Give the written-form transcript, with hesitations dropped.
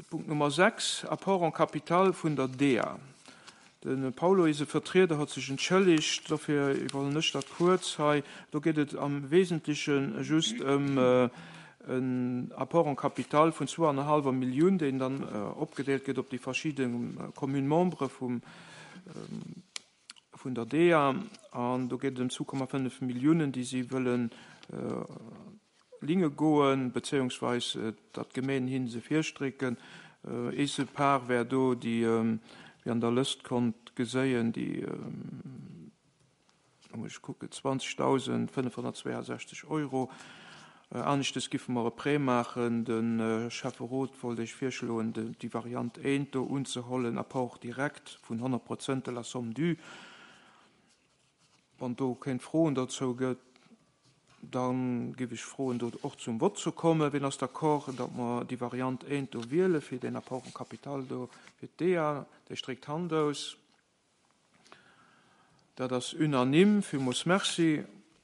Punkt Nummer 6, Apport en capital vun der DEA. De Paulo, eise Vertrieder, huet sech entschëllegt, dofir iwwerhuelen ech dat kuerz hei. Do geet et am Wesentleche just ëm en Apport en capital vun zwou an e hallwer Millioun, deen dann opgedeelt gëtt op déi verschidde Communes-membres vum, vun der DEA. An do geet et ëm 2,5 Milliounen, déi si wëllen Linge goen, bezéiungsweis datt d'Gemeen hinne se virstrécken. Eese Par wär do, déi, wéi an der Lëscht konnt geséien, déi, lo muss ech kucken, 20.562 Euro. Aneschtes giffe mer e Prêt maachen. De Schäfferot wollt Iech virschloen, déi Variant 1 do unzehollen, Apport direct vun 100 Prozent de la somme due. Wann do kéint Froen dozou gëtt, da géif ech froen, do och zum Vott ze kommen. Wien ass d'accord, datt mer déi Variant 1 do wiele fir deen Apport en capital do fir d'DEA? Dee stréckt d'Hand aus. Dat ass unanime. Villmools Merci.